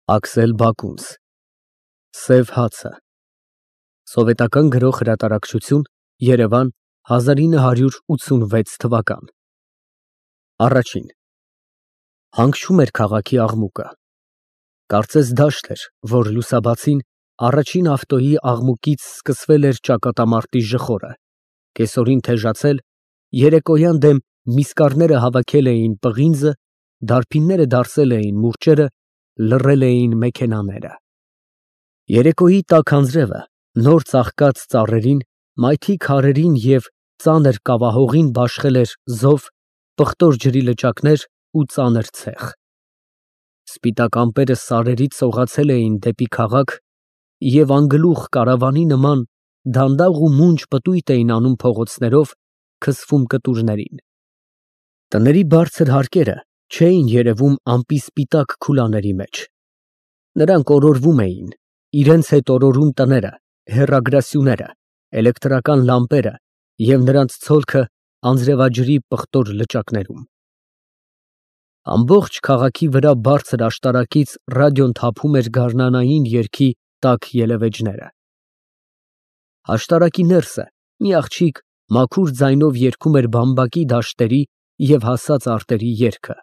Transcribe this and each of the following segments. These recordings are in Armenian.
Աքսել Բակունց Սև հացը Սովետական գրող հրատարակչություն Երևան 1986 թվական Առաջին Հանգչում էր քաղաքի աղմուկը Կարծես դաշտ էր, որ լուսաբացին առաջին ավտոյի աղմուկից սկսվել էր ճակատամարտի ժխորը, կեսօրին թեժացել, երեկոյան դեմ միսկառները հավաքել էին պղինձը, դարբինները դարսել էին մուրճերը, լռել էին մեքենաները։ Երեկոյի տաք անձրևը նոր ծաղկած ծառերին, մայթի քարերին և ծանր կավահողին բաշխել էր զով, պղտոր ջրի լճակներ ու ծանր ցեխ։ Սպիտակ ամպերը սարերից սողացել էին դեպի քաղաք և անգլուխ կարավանի նման դանդաղ ու մունջ պտույտ էին անում փողոցներով, քսվում կտուրներին։ Տների բարձր հարկերը չէին երևում ամպի սպիտակ քուլաների մեջ։ Նրանք օրորվում էին, իրենց հետ օրորում տները, հեռագրասյուները, էլեկտրական լամպերը և նրանց ցոլքը անձրևաջրի պղտոր լճակներում։ Ամբողջ քաղաքի վրա բարձր աշտարակից ռադիոն թափում էր գարնանային երգի տաք ելևէջները։ Աշտարակի ներսը մի աղջիկ մաքուր ձայնով երգում էր բամբակի դաշտերի և հասած արտերի երգը։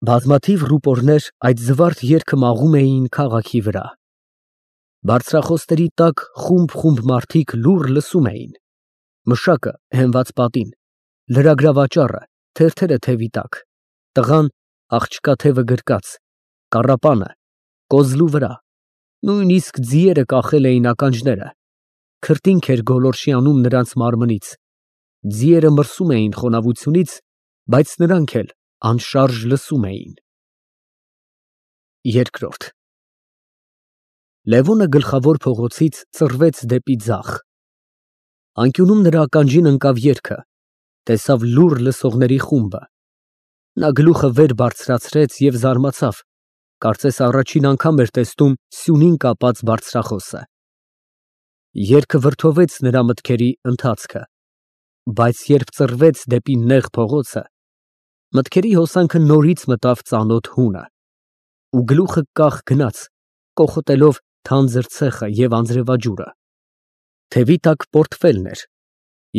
Բազմաթիվ ռուպորներ այդ զվարթ երգը մաղում էին քաղաքի վրա։ Բարձրախոստերի տակ խումբ մարդիկ լուռ լսում էին։ Մշակը հենված պատին, լրագրավաճառը թերթերը թևի տակ, տղան աղջկա թևը գրկած, կառապանը կոզլու վրա, նույնիսկ ձիերը կախել էին ականջները, քրտինք էր գոլորշի անում նրանց մարմնից, ձիերը մրսում էին խոնավությունից, բայց նրանք էլ անշարժ լսում էին։ Երկրորդ Լևոնը գլխավոր փողոցից ծռվեց դեպի ձախ։ Անկյունում նրա ականջին ընկավ երգը, տեսավ լուռ լսողների խումբը։ Նա գլուխը վեր բարձրացրեց և զարմացավ, կարծես առաջին անգամ էր տեսնում սյունին կապած բարձրախոսը։ Երգը վրդովեց նրա մտքերի ընթացքը, բայց երբ ծռվեց դեպի նեղ փողոցը, մտքերի հոսանքը նորից մտավ ծանոթ հունը, ու գլուխը կախ գնաց, կոխոտելով թանձր ցեխը և անձրևաջուրը։ Թևի տակ պորտֆելն էր,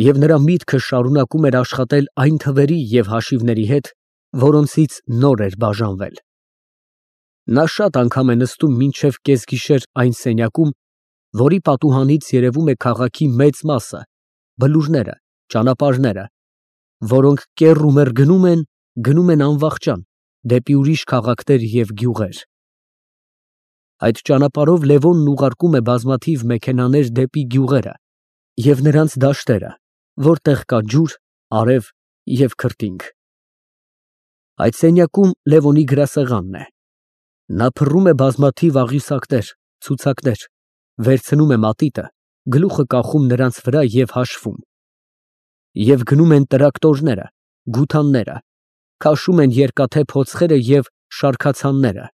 և նրա միտքը շարունակում էր աշխատել այն թվերի և հաշիվների հետ, որոնցից նոր էր բաժանվել։ Նա շատ անգամ է նստում մինչև կեսգիշեր այն սենյակում, որի պատուհանից երևում է քաղաքի մեծ մասը, բլուրները, ճանապարհները, որոնք կեռ ու մեռ գնում են անվախճան դեպի ուրիշ քաղաքներ և գյուղեր։ Այդ ճանապարհով Լևոնն ուղարկում է բազմաթիվ մեքենաներ դեպի գյուղերը և նրանց դաշտերը, որտեղ կա ջուր, արև և քրտինք։ Այդ սենյակում Լևոնի գրասեղանն է։ Նա փռում է բազմաթիվ աղյուսակներ, ցուցակներ, վերցնում է մատիտը, գլուխը կախում նրանց վրա և հաշվում։ Եվ գնում են տրակտորները, գութանները, քաշում են երկաթե փոցխերը և շարքացանները։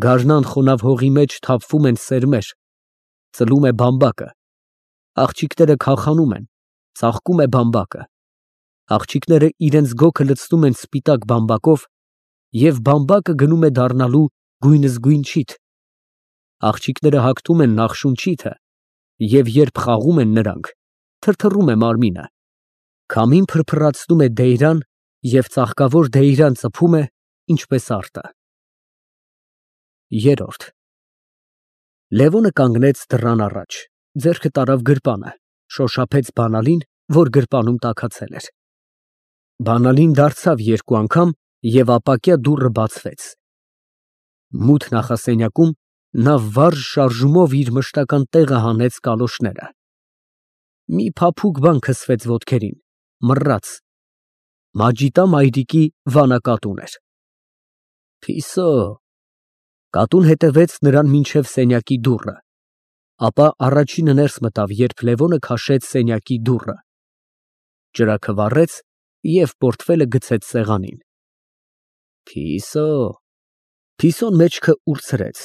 Գարնան խոնավ հողի մեջ թափվում են սերմեր, ծլում է բամբակը, աղջիկները քախանում են, ծաղկում է բամբակը, աղջիկները իրենց գոգը լցնում են սպիտակ բամբակով և բամբակը գնում է դառնալու գույնզգույն չիթ, աղջիկները հագնում են նախշուն չիթը և երբ խաղում են նրանք, թրթռում է մարմինը, քամին փրփռացնում է դեյրան և ծաղկավոր դեյրան ծփում է, ինչպես արտը։ Երրորդ Լևոնը կանգնեց դռան առաջ, ձեռքը տարավ գրպանը, շոշափեց բանալին, որ գրպանում տաքացել էր։ Բանալին դարձավ երկու անգամ և ապակյա դուռը բացվեց։ Մութ նախասենյակում նա վառ շարժումով իր մշտական տեղը հանեց կալոշները։ Մի փափուկ բան քսվեց ոտքերին, մռռաց։ Մաջիտա մայրիկի վանակատուն էր։ Փիսո։ Կատուն հետևեց նրան մինչև սենյակի դուռը, ապա առաջինը ներս մտավ, երբ Լևոնը քաշեց սենյակի դուռը, ճրագը վառեց և պորտֆելը գցեց սեղանին։ Փիսո։ Փիսոն մեջքը ուրցրեց,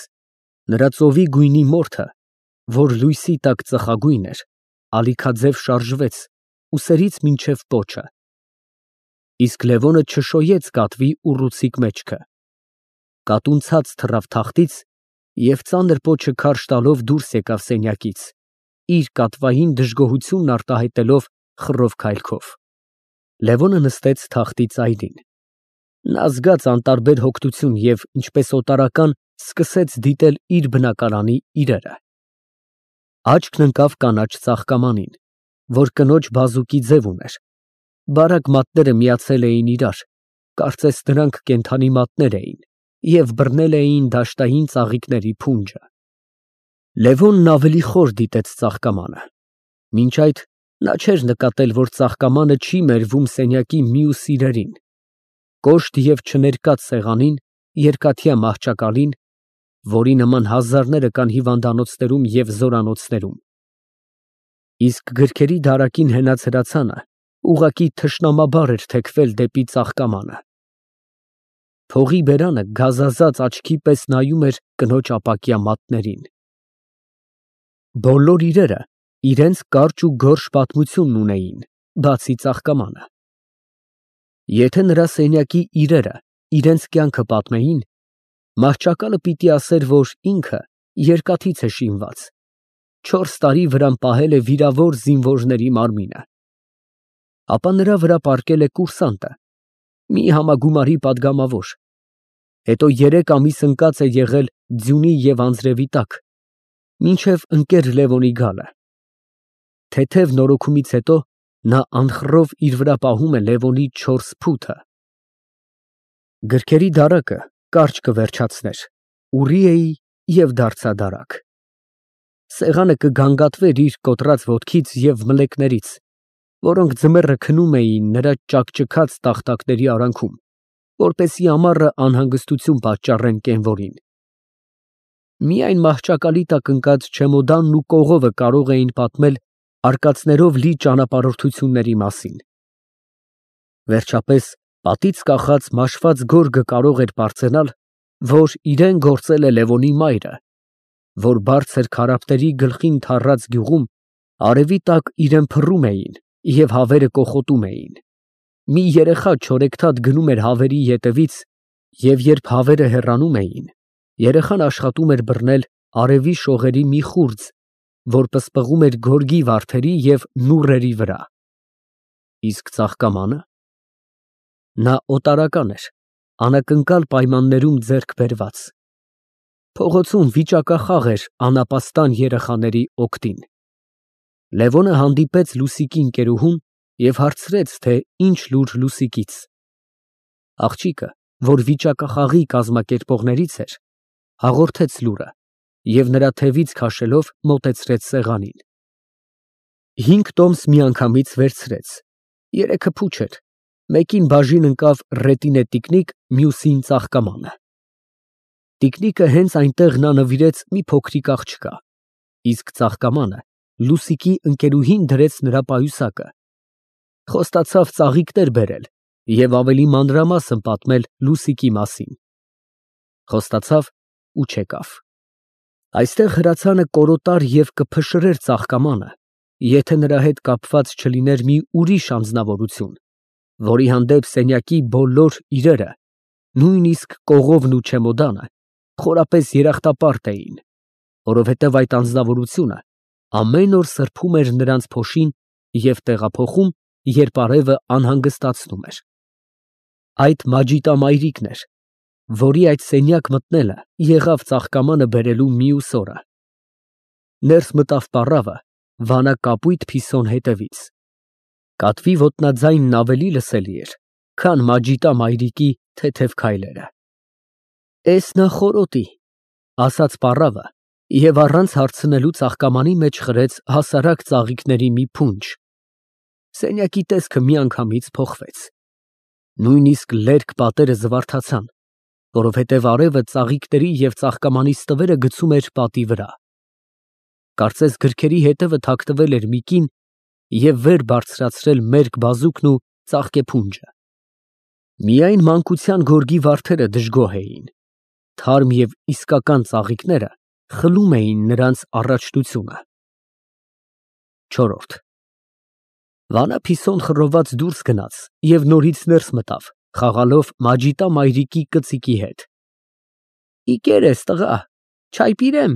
նրա ծովի գույնի մորթը, որ լույսի տակ ծխագույն էր, ալիքաձև շարժվեց ուսերից մինչև պոչը, իսկ Լևոնը չշոյեց կատվի ուռուցիկ մեջքը։ կատունցած թռավ թախտից և ծանր պոչը քարշ տալով դուրս եկավ սենյակից, իր կատվային դժգոհությունն արտահայտելով խռով քայլքով։ Լևոնը նստեց թախտի ծայրին։ Նա զգաց անտարբեր հոգնություն և, ինչպես օտարական, սկսեց դիտել իր բնակարանի իրերը։ Աչքն ընկավ կանաչ ծաղկամանին, որ կնոջ բազուկի ձև ուներ։ Բարակ մատները միացել էին իրար, կարծես դրանք կենդանի մատներ էին և բռնել էին դաշտային ծաղիկների փունջը։ Լևոնն ավելի խոր դիտեց ծաղկամանը։ Մինչ այդ նա չէր նկատել, որ ծաղկամանը չի մերվում սենյակի մյուս իրերին՝ կոշտ և չներկած սեղանին, երկաթյա մահճակալին, որի նման հազարները կան հիվանդանոցներում և զորանոցներում, իսկ գրքերի դարակին հենած հրացանը ուղղակի թշնամաբար էր թեքվել դեպի ծաղկամանը։ Փողի բերանը գազազած աչքի պես նայում էր կնոջ ապակյա մատներին։ Բոլոր իրերը իրենց կարճ ու գորշ պատմությունն ունեին, բացի ծաղկամանը։ Եթե նրա սենյակի իրերը իրենց կյանքը պատմեին, մահճակալը պիտի ասեր, որ ինքը երկաթից է շինված, 4 տարի վրան պահել է վիրավոր զինվորների մարմինը, ապա նրա վրա պառկել է կուրսանտը, մի համագումարի պատգամավոր, հետո 3 ամիս ընկած է եղել ձյունի և անձրևի տակ, մինչև ընկեր Լևոնի գալը։ Թեթև նորոգումից հետո նա անխռով իր վրա պահում է Լևոնի 4 փութը։ Գրքերի դարակը կարճ կվերջացներ, ուռի էի և դարձա դարակ։ Սեղանը կգանգատվեր իր կոտրած ոտքից և մլեկներից, որոնք ձմեռը քնում էին նրա ճաքճքած տախտակների արանքում, որպեսզի ամառը անհանգստություն պատճառեն կենվորին։ Միայն մահճակալի տակ ընկած չեմոդանն ու կողովը կարող էին պատմել արկածներով լի ճանապարհորդությունների մասին։ Վերջապես, պատից կախած մաշված գորգը կարող էր պարծենալ, որ իրեն գործել է Լևոնի մայրը, որ բարձր քարափների գլխին թառած գյուղում արևի տակ իրան փռում էին և հավերը կոխոտում էին։ Մի երեխա չորեքթաթ գնում էր հավերի ետևից, և երբ հավերը հեռանում էին, երեխան աշխատում էր բռնել արևի շողերի մի խուրձ, որ պսպղում էր գորգի վարդերի և նուռերի վրա։ Իսկ ծաղկամանը։ Նա օտարական էր, անակնկալ պայմաններում ձեռք բերված։ Փողոցում վիճակախաղ էր անապաստան երեխաների օգտին։ Լևոնը հանդիպեց Լուսիկի ընկերուհուն և հարցրեց, թե ինչ լուր Լուսիկից։ Աղջիկը, որ վիճակախաղի կազմակերպողներից էր, հաղորդեց լուրը և նրա թևից քաշելով մոտեցրեց սեղանին։ 5 տոմս միանգամից վերցրեց, 3-ը փուչ էր, մեկին բաժին ընկավ ռետինե տիկնիկ, մյուսին ծաղկամանը։ Տիկնիկը հենց այնտեղ նա նվիրեց մի փոքրիկ աղջկա, իսկ ծաղկամանը Լուսիկի ընկերուհին դրեց նրա պայուսակը, խոստացավ ծաղիկներ բերել և ավելի մանրամասն պատմել Լուսիկի մասին։ Խոստացավ ու չեկավ։ Այստեղ հրացանը կորոտար և կփշրեր ծաղկամանը, եթե նրա հետ կապված չլիներ մի ուրիշ անձնավորություն, որի հանդեպ սենյակի բոլոր իրերը, նույնիսկ կողովն ու չեմոդանը, խորապես երախտապարտ էին, որովհետև այդ անձնավորությունը ամեն օր սրբում էր նրանց փոշին և տեղափոխում, երբ արևը անհանգստացնում էր։ Այդ Մաջիտամայրիկն էր, որի այդ սենյակ մտնելը եղավ ծաղկամանը բերելու մյուս օրը։ Ներս մտավ պառավը վանա կապույտ փիսոն հետևից։ Կատվի ոտնաձայնն ավելի լսելի էր, քան Մաջիտամայրիկի թեթև քայլերը։ «Էս նախորոտի», ասաց պառավը և առանց հարցնելու ծաղկամանի մեջ խրեց հասարակ ծաղիկների մի փունջ։ Սենյակի տեսքը միանգամից փոխվեց։ Նույնիսկ լերկ պատերը զվարթացան, որովհետև արևը ծաղիկների և ծաղկամանի ստվերը գցում էր պատի վրա։ Կարծես գրքերի հետևը թաքնվել էր մի կին և վեր բարձրացրել մերկ բազուկն ու ծաղկեփունջը։ Միայն մանկության գորգի վարդերը դժգոհ էին, թարմ և իսկական ծաղիկները խլում էին նրանց առաջնությունը։ 4 Վանա Փիսոն խռոված դուրս գնաց և նորից ներս մտավ, խաղալով Մաջիտամայրիկի կծիկի հետ։ Իկեր ես, տղա, չայ պիրեմ։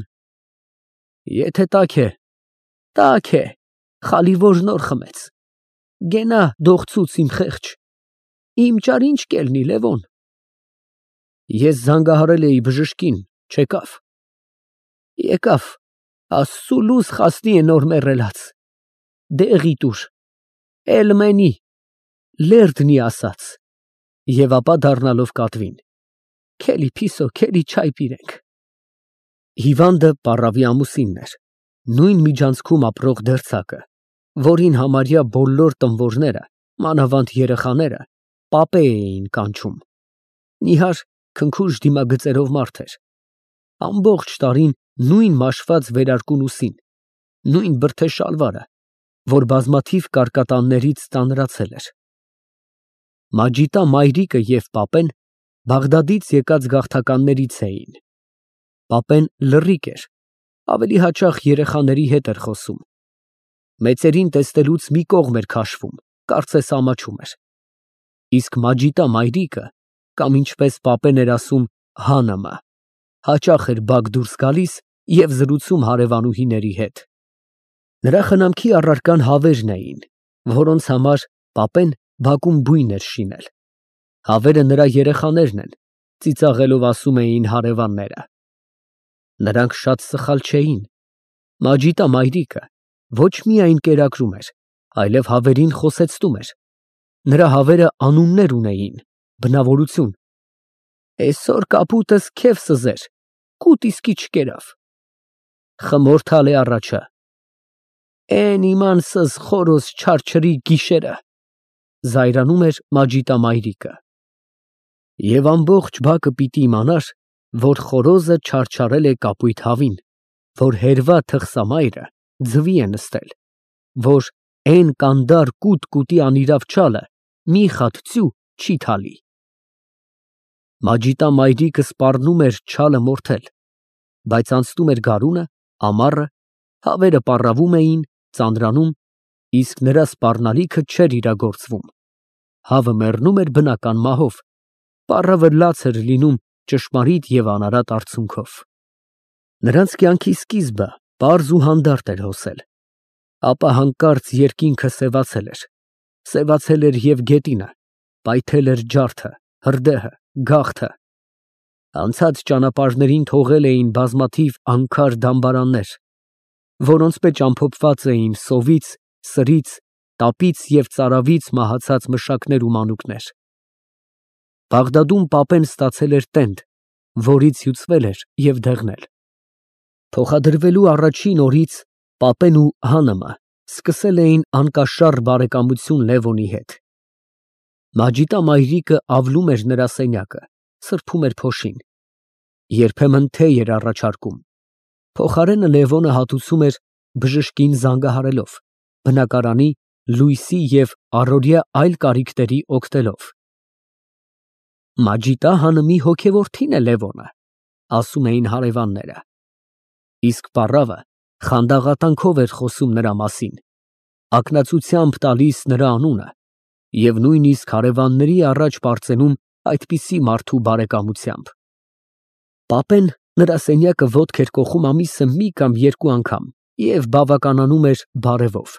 Եթե տաք է, խալի որ նոր խմեց։ Գենա դողցուց իմ խեղճ, իմ ճար ինչ կելնի, Լևոն։ Ես զանգահարել էի բժշկին, չեկավ։ Եկավ, Աստծու լույս խասնի է նոր մեռելաց։ Դեղի տուր, էլ մենի, լերդնի ասաց։ Եվ ապա դառնալով կատվին. Քելի փիսո, քելի չայ պիրենք։ Հիվանդը պառավի ամուսինն էր, նույն միջանցքում ապրող դերձակը, որին համարյա բոլոր տմվորները, մանավանդ երեխաները, պապե էին կանչում։ Նիհար քնքուշ դիմագծերով մարդ էր։ Ամբողջ տարին նույն մաշված վերարկուն ուսին, նույն բրդե շալվարը, որ բազմաթիվ կարկատաններից ծանրացել էր։ Մաջիտա մայրիկը և պապեն Բաղդադից եկած գաղթականներից էին։ Պապեն լռիկ էր, ավելի հաճախ երեխաների հետ էր խոսում։ Մեծերին տեսնելուց մի կողմ էր քաշվում, կարծես ամաչում էր։ Իսկ Մաջիտա մայրիկը, կամ ինչպես պապեն էր ասում, Հանամը, հաճախ էր բակ դուրս գալիս և զրուցում հարևանուհիների հետ։ Նրա խնամքի առարկան հավերն էին, որոնց համար պապեն բակում բույն էր շինել։ Հավերը նրա երեխաներն են, ծիծաղելով ասում էին հարևանները։ Նրանք շատ սխալ չէին։ Մաջիտա մայրիկը ոչ միայն կերակրում էր, այլև հավերին խոսեցնում էր։ Նրա հավերը անուններ ունեին, բնավորություն։ Էսօր կապուտս քեֆ սզեր, կուտ իսկի չկերավ։ Խմորթալ է առաջը։ Էն իմանսս խորոս չարչրի գիշերը, զայրանում էր Մաջիտա մայրիկը։ Եվ ամբողջ բակը պիտի իմանար, որ խորոզը չարչարել է կապույտ հավին, որ հերվա թխսամայրը ձվի է նստել, որ էն կանդար կուտի անիրավ չալը մի խատ ծյու չի թալի։ Մաջիտա մայրիկը սպառնում էր չալը մորթել, բայց անցնում էր գարունը, ամառը, հավերը պառավում էին, ծանրանում, իսկ նրա սպառնալիքը չէր իրագործվում։ Հավը մեռնում էր բնական մահով, պառավը լաց էր լինում ճշմարիտ և անարատ արցունքով։ Նրանց կյանքի սկիզբը պարզ ու հանդարտ էր հոսել, ապա հանկարծ երկինքը սևացել էր։ Սևացել էր և գետինը, պայթել էր ջարդը, հրդեհը, գաղթը։ Անցած ճանապարհներին թողել էին բազմաթիվ անքար դամբարաններ, որոնց մեջ ամփոփված էին սովից, սրից, տապից և ծարավից մահացած մշակներ ու մանուկներ։ Բաղդադում պապեն ստացել էր տենդ, որից հյուծվել էր և դեղնել։ Փոխադրվելու առաջին օրից պապեն ու Հանամը սկսել էին անկաշառ բարեկամություն Լևոնի հետ։ Մաջիտա մայրիկը ավլում էր նրա սենյակը, սրբում էր փոշին։ Երբեմն թեյ էր առաջարկում։ Փոխարենը Լևոնը հատուցում էր բժշկին զանգահարելով, բնակարանի, լույսի և առօրյա այլ կարիքների օգտելով։ Մաջիտա Հանմի հոգեորդին է Լևոնը, ասում էին հարևանները։ Իսկ պառավը խանդաղատանքով էր խոսում նրա մասին, ակնածությամբ տալիս նրա անունը և նույնիսկ հարևանների առաջ պարծենում այդպիսի մարդու բարեկամությամբ։ Պապեն նրա սենյակը ոտք էր կոխում ամիսը մի կամ երկու անգամ և բավականանում էր բարևով։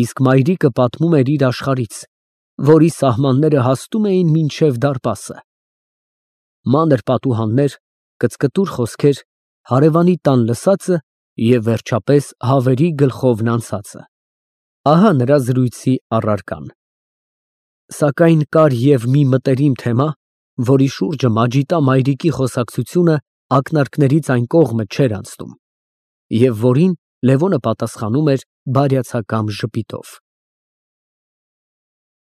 Իսկ մայրիկը պատմում էր իր աշխարհից, որի սահմանները հասնում էին մինչև դարպասը։ Մանր պատուհաններ, կծկտուր խոսքեր, հարևանի տան լսածը և վերջապես հավերի գլխովն անցածը։ Ահա նրա զրույցի առարկան։ Սակայն կար և մի մտերիմ թեմա, որի շուրջը Մաջիտա մայրիկի խոսակցությունը ակնարկներից այն կողմը չէր անցնում, և որին Լևոնը պատասխանում էր բարյացակամ ժպիտով։